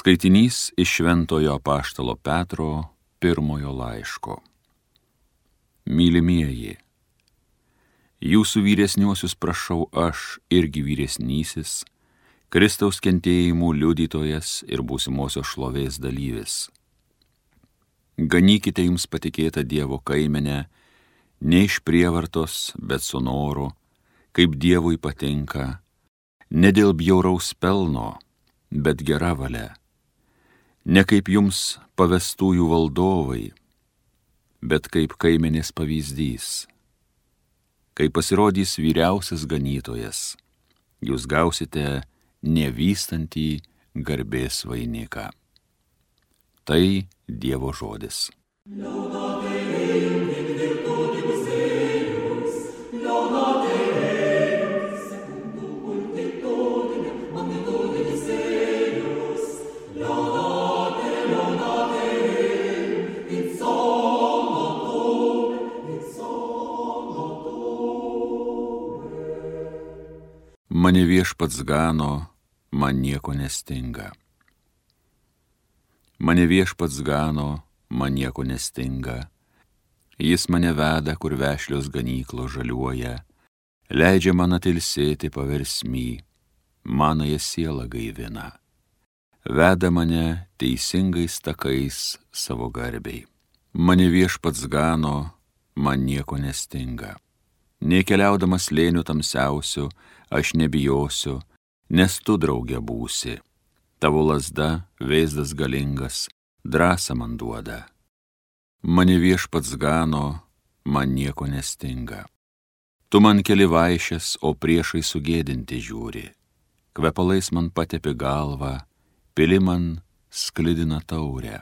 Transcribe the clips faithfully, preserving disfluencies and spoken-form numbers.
Skaitinys iš Šventojo apaštalo Petro pirmojo laiško. Mylimieji, jūsų vyresniuosius prašau aš irgi vyresnysis, Kristaus kentėjimų liudytojas ir būsimosios šlovės dalyvis. Ganykite jums patikėtą Dievo kaimenę, ne iš prievartos, bet su noru, kaip Dievui patinka, ne dėl bjauraus pelno, bet gera valia, ne kaip jums pavestųjų valdovai, bet kaip kaimenės pavyzdys. Kai pasirodys vyriausias ganytojas, jūs gausite nevystantį garbės vainiką. Tai Dievo žodis. Mane viešpats gano, man nieko nestinga. Mane viešpats gano, man nieko nestinga. Jis mane veda, kur vešlios ganyklos žaliuoja, leidžia man atilsėti paversmy, manąją sielą gaivina. Veda mane teisingais takais savo garbei. Mane viešpats gano, man nieko nestinga. Nei keliaudamas slėniu tamsiausiu, aš nebijosiu, nes tu drauge būsi. Tavo lazda, vėzdas galingas, drąsą man duoda. Mane viešpats gano, man nieko nestinga. Tu man keli vaišes, o priešai sugėdinti žiūri. Kvepalais man patepi galvą, pili man sklidina taurę.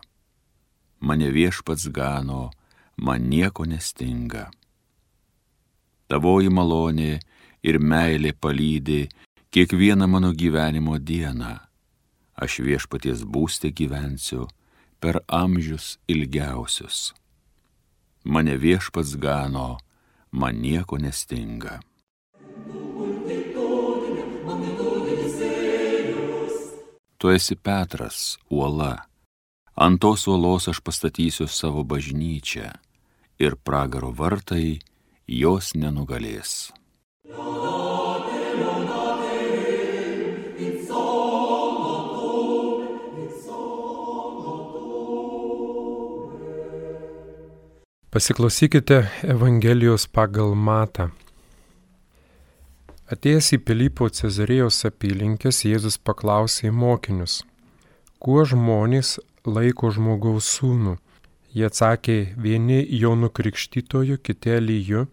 Mane viešpats gano, man nieko nestinga. Tavoji malonė ir meilė palydi kiekvieną mano gyvenimo dieną. Aš viešpaties būste gyvensiu per amžius ilgiausius. Mane viešpats gano, man nieko nestinga. Tu esi Petras, uola. Ant tos uolos aš pastatysiu savo bažnyčią ir pragaro vartai jos nenugalės. Pasiklausykite Evangelijos pagal Matą. Atėjęs į Pilypo Cezarėjos apylinkes, Jėzus paklausė mokinius, kuo žmonės laiko žmogaus sūnų. Jie atsakė, vieni Jonu Krikštytoju, kiti Eliju,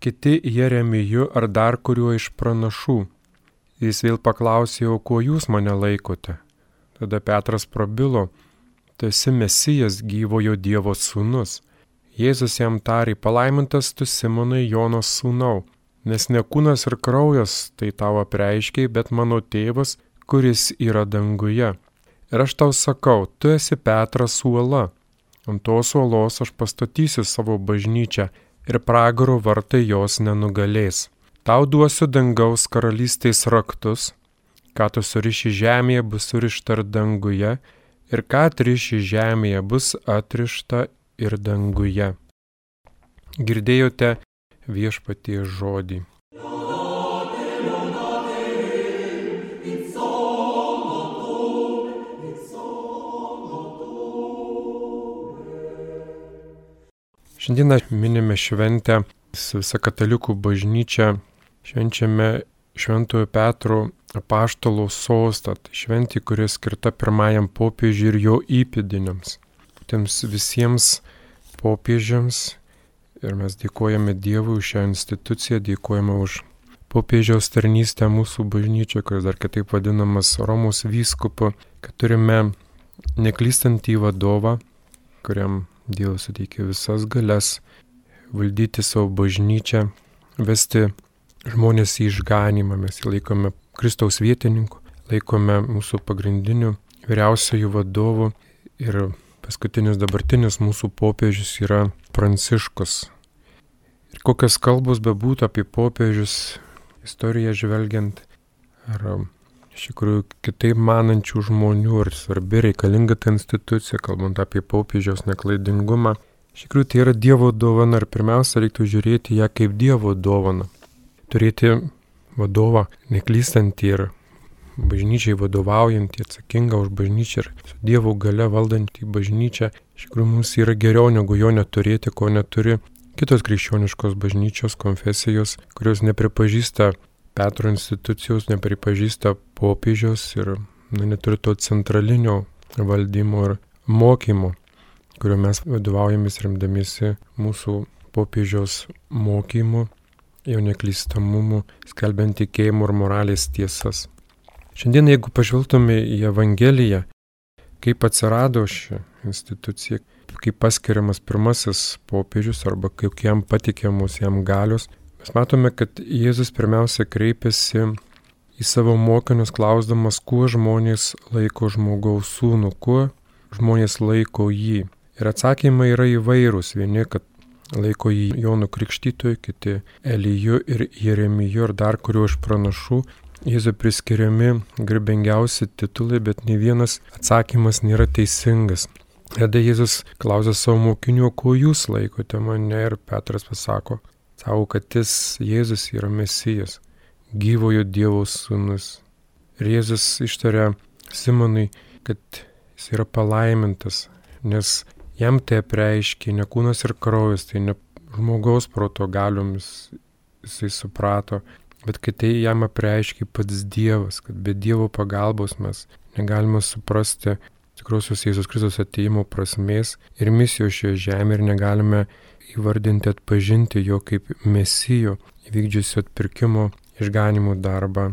kiti Jeremiju ar dar kuriuo iš pranašų. Jis vėl paklausė, o kuo jūs mane laikote? Tada Petras prabilo, tu esi Mesijas, gyvojo Dievo sūnus. Jėzus jam tarė, palaimintas tu Simonai Jonos sūnau, nes ne kūnas ir kraujas tai tau apreiškė, bet mano tėvas, kuris yra danguje. Ir aš tau sakau, tu esi Petras uola. Ant tos uolos aš pastatysiu savo bažnyčią ir pragaro vartai jos nenugalės. Tau duosiu dangaus karalystės raktus, ką tu suriši žemėje bus surišta ir danguje, ir ką atriši žemėje bus atrišta ir danguje. Girdėjote viešpaties žodį. Šiandieną minime šventę su visa katalikų bažnyčia, švenčiame Šventojo Petro apaštalo sostą, tai šventė, kuri skirta pirmajam popiežiui ir jo įpėdiniams. Tiems visiems popiežiams ir mes dėkojame Dievui už šią instituciją, dėkojame už popiežiaus tarnystę mūsų bažnyčioje, kuris dar kitaip vadinamas Romos vyskupu, kad turime neklystantį vadovą, kuriam Dievas suteikia visas galias valdyti savo bažnyčią, vesti žmonės į išganymą. Mes jį laikome Kristaus vietininku, laikome mūsų pagrindiniu vyriausiojų vadovu ir paskutinis dabartinis mūsų popiežius yra Pranciškus. Ir kokios kalbos bebūtų apie popiežius, istoriją žvelgiant, ar iš tikrųjų kitaip manančių žmonių ir svarbi reikalinga ta institucija, kalbant apie popiežiaus neklaidingumą. Iš tikrųjų tai yra Dievo dovana ir pirmiausia reiktų žiūrėti ją kaip Dievo dovaną. Turėti vadovą neklystantį ir bažnyčiai vadovaujantį, atsakingą už bažnyčią ir su Dievo gale valdantį bažnyčią. Iš tikrųjų mums yra geriau negu jo neturėti, ko neturi kitos krikščioniškos bažnyčios konfesijos, kurios nepripažįsta Petro institucijos, nepripažįsta popiežiaus ir na, neturi to centralinio valdymo ir mokymo, kurio mes vadovaujamės remdamiesi mūsų popiežiaus mokymu, jo neklystamumu, skelbiant tikėjimo ir moralės tiesas. Šiandien, jeigu pažvelgtume į Evangeliją, kaip atsirado ši institucija, kaip paskiriamas pirmasis popiežius arba kaip jam patikiamos jam galios, mes matome, kad Jėzus pirmiausia kreipiasi į savo mokinius klausdamas, kuo žmonės laiko žmogaus sūnų, kuo žmonės laiko jį. Ir atsakymai yra įvairūs. Vieni, kad laiko jį Jonu Krikštytoju, kiti Eliju ir Jeremiju ir dar kuriuo iš pranašų. Jėzui priskiriami garbingiausi titulai, bet nei vienas atsakymas nėra teisingas. Tada Jėzus klausia savo mokinių, kuo jūs laikote mane, ir Petras pasako, sako, kad jis Jėzus yra Mesijas, gyvojo Dievo sūnus. Ir Jėzus ištaria Simonui, kad jis yra palaimintas, nes jam tai apreiškė ne kūnas ir kraujas, tai ne žmogaus proto galiomis jisai suprato, bet kad tai jam apreiškė pats Dievas, kad be Dievo pagalbos mes negalime suprasti tikrosios Jėzus Kristus atėjimo prasmės ir misijos šioje žemėje ir negalime įvardinti, atpažinti jo kaip Mesijo, įvykdžiusio atpirkimo išganimo darbą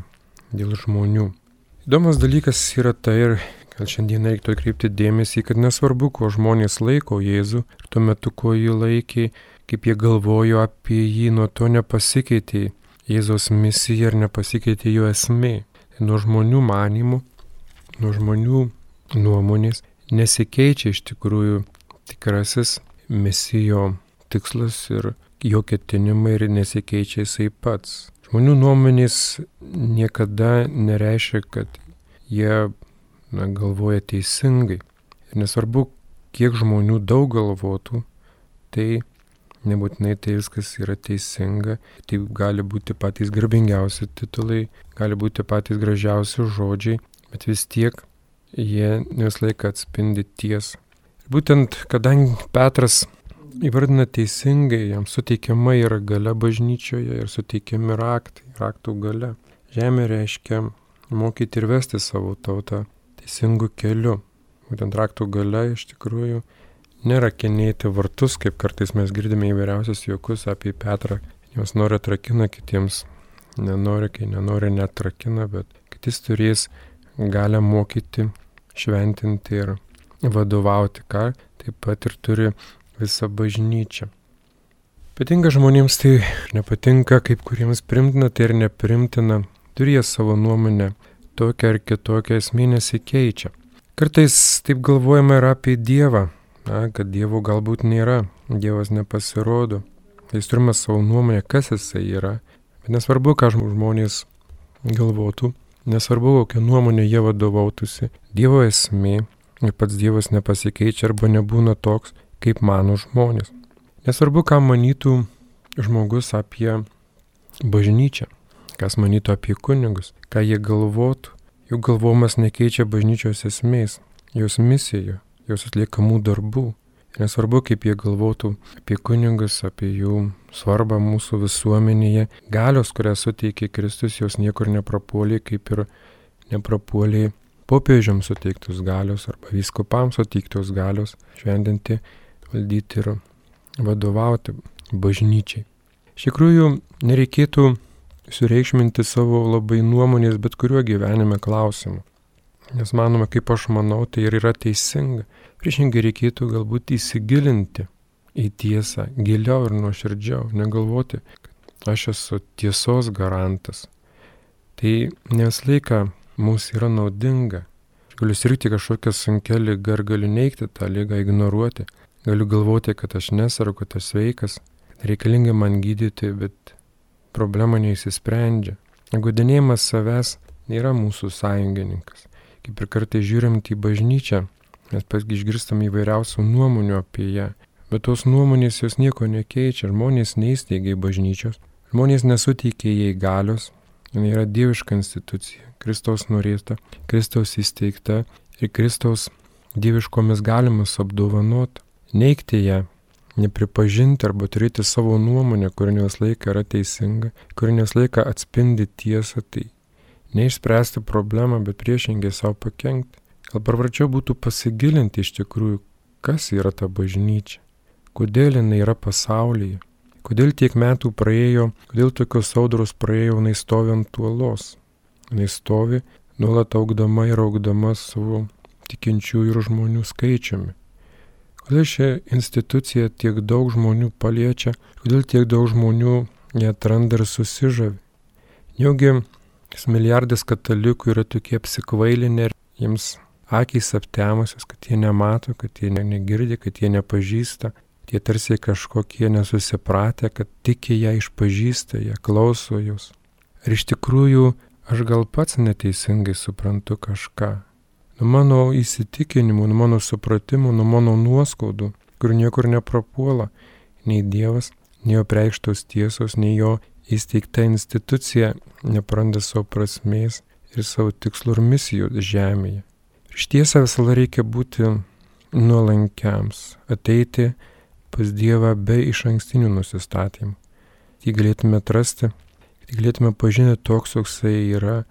dėl žmonių. Įdomus dalykas yra tai, ir gal šiandien reiktų atkreipti dėmesį, kad nesvarbu, ko žmonės laiko Jėzų, ir tuo metu, ko jį laikė, kaip jie galvojo apie jį, nuo to nepasikeitė Jėzaus misija ir nepasikeitė jo esmė. Nuo žmonių manymų, nuo žmonių nuomonės nesikeičia iš tikrųjų tikrasis Mesijo tikslas ir jo ketinimai ir nesikeičia jisai pats. Žmonių nuomonės niekada nereiškia, kad jie na, galvoja teisingai. Ir nesvarbu, kiek žmonių daug galvotų, tai nebūtinai tai viskas yra teisinga. Tai gali būti patys garbingiausi titulai, gali būti patys gražiausi žodžiai, bet vis tiek jie vis laiką atspindi tiesą. Ir būtent, kadangi Petras įvardina teisingai, jam suteikiama yra galia bažnyčioje ir suteikiami raktai, raktų galia. Žemė reiškia mokyti ir vesti savo tautą teisingų kelių. Būtent raktų galia iš tikrųjų nerakinėti vartus, kaip kartais mes girdime įvairiausius juokus apie Petrą. Jos nori atrakina, kitiems nenori, kai nenori netrakina, bet kad jis turės galę mokyti, šventinti ir vadovauti, ką taip pat ir turi visa bažnyčia. Patinka žmonėms tai nepatinka, kaip kuriems primtina, tai ir neprimtina. Turi jie savo nuomonę, tokia ar kitokia esmė nesikeičia. Kartais taip galvojame ir apie Dievą, na, kad Dievo galbūt nėra, Dievas nepasirodo. Jis turime savo nuomonę, kas jisai yra. Bet nesvarbu, ką žmonės galvotų, nesvarbu, kokią nuomonę jie vadovautųsi. Dievo esmė ir pats Dievas nepasikeičia arba nebūna toks, kaip mano žmonės. Nesvarbu, ką manytų žmogus apie bažnyčią, kas manytų apie kunigus, ką jie galvotų. Jų galvojimas nekeičia bažnyčios esmės, jos misijų, jos atliekamų darbų. Ir nesvarbu, kaip jie galvotų apie kunigus, apie jų svarbą mūsų visuomenėje. Galios, kurią suteikė Kristus, jos niekur neprapuolė, kaip ir neprapuolė popiežiams suteiktos galios arba vyskupams suteiktos galios šventinti, valdyti ir vadovauti bažnyčiai. Iš tikrųjų, nereikėtų sureikšminti savo labai nuomonės bet kuriuo gyvenime klausimu. Nes manoma, kaip aš manau, tai ir yra teisinga. Priešingai reikėtų galbūt įsigilinti į tiesą giliau ir nuoširdžiau, negalvoti, kad aš esu tiesos garantas. Tai nes laiką mums yra naudinga. Aš galiu sirgti kažkokią sunkią ligą ir galiu neigti tą ligą, ignoruoti. Galiu galvoti, kad aš nesargu, kad aš sveikas, kad reikalinga man gydyti, bet problema neįsisprendžia. Guodinėjimas savęs nėra mūsų sąjungininkas. Kaip ir kartais žiūrint į bažnyčią, mes pasgi išgirstam įvairiausių nuomonių apie ją, bet tos nuomonės jos nieko nekeičia, žmonės neįsteigia bažnyčios, žmonės nesuteikia jai galios, jinai yra dieviška institucija, Kristaus norėta, Kristaus įsteigta ir Kristaus dieviškomis galimus apdovanota. Neigti ją, nepripažinti arba turėti savo nuomonę, kuri ne visą laiką yra teisinga, kuri ne visą laiką atspindi tiesą, tai neišspręsti problemą, bet priešingai savo pakenkti. Gal pravarčiau būtų pasigilinti iš tikrųjų, kas yra ta bažnyčia, kodėl jinai yra pasaulyje, kodėl tiek metų praėjo, kodėl tokios audros praėjo, jinai stovi ant uolos, jinai stovi nuolat augdama ir augdama savo tikinčiųjų ir žmonių skaičiumi. Kodėl šią instituciją tiek daug žmonių paliečia, kodėl tiek daug žmonių ją atranda ir susižavi. Neugi milijardas katalikų yra tokie apsikvailinę ir jiems akys aptemusios, kad jie nemato, kad jie negirdi, kad jie nepažįsta, tie tarsi kažkokie nesusipratę, kad tik ją išpažįsta, jie klauso jos. Ir iš tikrųjų aš gal pats neteisingai suprantu kažką. Nuo mano įsitikinimų, nuo mano supratimų, nuo mano nuoskaudų, kur niekur neprapuola nei Dievas, nei jo preikštos tiesos, nei jo įsteigta institucija nepraranda savo prasmės ir savo tikslų ir misijų žemėje. Iš tiesą visada reikia būti nuolankiams, ateiti pas Dievą be išankstinių nusistatymų. Jį galėtume atrasti, kad galėtume pažinti toks, koks jis yra,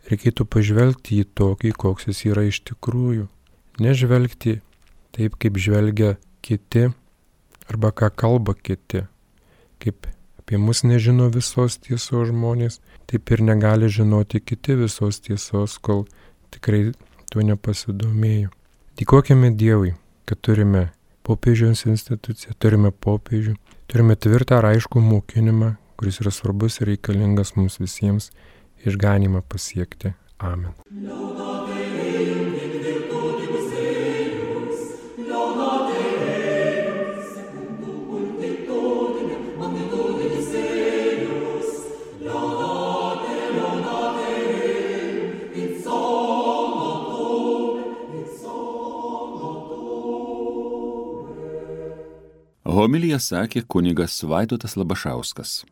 reikėtų pažvelgti į tokį, koks jis yra iš tikrųjų. Nežvelgti taip, kaip žvelgia kiti arba ką kalba kiti. Kaip apie mus nežino visos tiesos žmonės, taip ir negali žinoti kiti visos tiesos, kol tikrai tuo nepasidomėjo. Dėkojame Dievui, kad turime popiežiaus instituciją, turime popiežių, turime tvirtą ir aiškų mokinimą, kuris yra svarbus ir reikalingas mums visiems išganymą pasiekti. Amen. Homiliją sakė kunigas Vaidotas Labašauskas.